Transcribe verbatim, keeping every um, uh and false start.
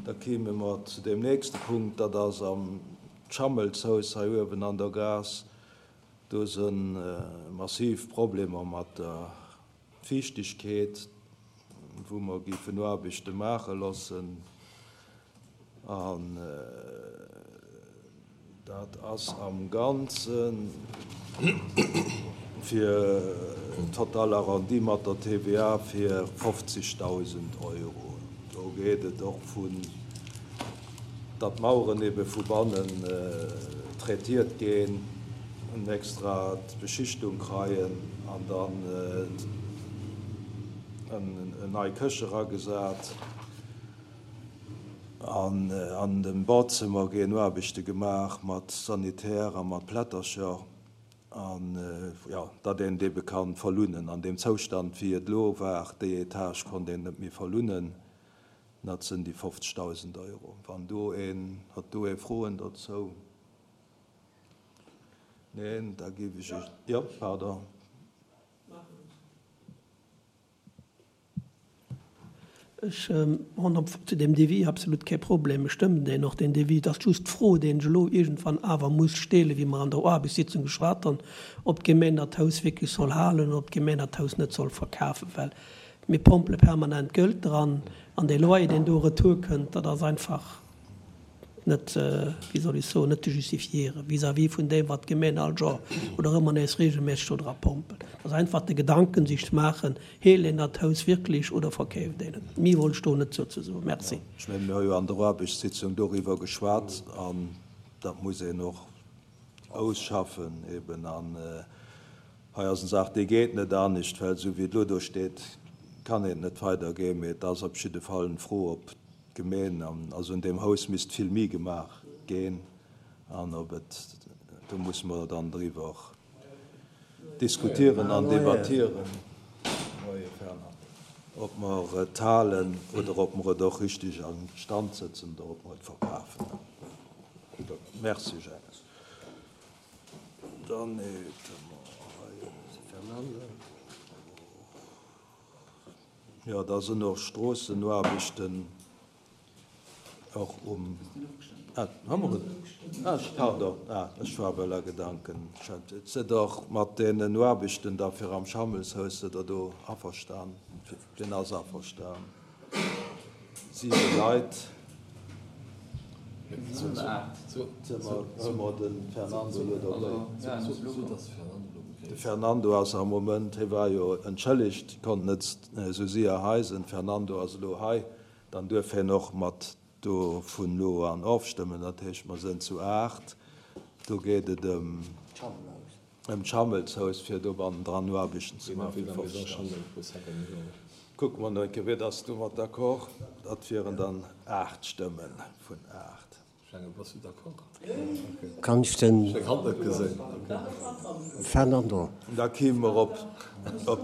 Da kéime mer zu deem nächste Punkt, dat ass am Schammelshaus hei uewen an der Gaass. Do si massiv Problemer mat der Fiichtegkeet, wou mer géifen Aarbechte maache loossen. An dat ass am Ganze fir total arrondi mat der T V A fir fofzegdausend Euro. Do geet et och vun, datt d'Maueren ebe vu bannen traitiert ginn, en extra Beschichtung kreien an dann en nei Këche eragesat. An an dem Badzëmmer ginn Aarbechte gemaach mat Sanitär a mat Plättercher an, jo, datt een dee kann verlunnen. An deem Zoustand, wéi et elo war, déi Etage konnt een net méi verlunnen. Dat sinn déi fofzegdausend Euro. Wann do een huet do ee Froen dozou? Neen, da géif ech, jo, pardon. Ech hunn op zu deem Devis absolut kee Problem. Ech stëmmen deen och, deen Devis. Et ass just d'Fro, déi ech elo iergendwann awer muss stellen, wéi mer an der Aarbechtssitzung geschwat hunn, ob d'Gemeng dat Haus wierklech soll halen oder ob d'Gemeng dat Haus net soll verkafen, well mir pompele permanent Geld dran an dee Loyer, deen do retour kënnt, dat ass einfach net, wéi soll ech soen, net ze justifiéieren vis-à-vis vun deem, wat d'Gemeng all Joer oder ëmmer nees regelméisseg do dra pompelt. Dat ass einfach de Gedanken sich ze maachen, Hélt een dat Haus wierklech oder verkeeft een et? Méi wollt ech do net dozou soen. Merci. Ech mengen, mir hu jo an der Aarbechtssitzung doriwwer geschwat an dat muss een och ausschaffen eben. An hei ass eng Saach, déi geet net anescht, well esou wéi et elo do steet, kann een net weidergeen. Mee et ass op jidde Fall eng Fro, ob d'Gemeen, also un deem Haus misst vill méi gemaach ginn an ob et, do musse mer dann driwwer diskutieren an debattieren, ob mer et halen oder ob mer et och richtig a Stand setzen oder ob mer et verkafen. Merci, Jacques. Dann hätte mer hei, jo, da sinn och Stroossenaarbechten och um, ah, hu mer et? Ah, pardon, ah, ech war well a Gedanken. Sidd och mat deenen Aarbechten da fir am Schammelshaus, sidd Der do averstan? Deen ass averstan. Siwe Leit. Hu mer de Fernando elo dobäi? De Fernando ass am Moment, hie war jo entschëllegt, konnt net esou séier hei sinn. Fernando ass elo hei, dann duerf hien och mat do vun elo an ofstëmmen. Dat heescht, mer sinn zu aacht. Do geet et ëm ëm d'Schammelshaus, fir do bannendran Aarbechten ze maachen. Kucke mer no eng Kéier, wier dass du mat d'accord? Dat wieren dann aacht Stëmme vun aacht. Kann ech den Fernando? Da kéime mer op op.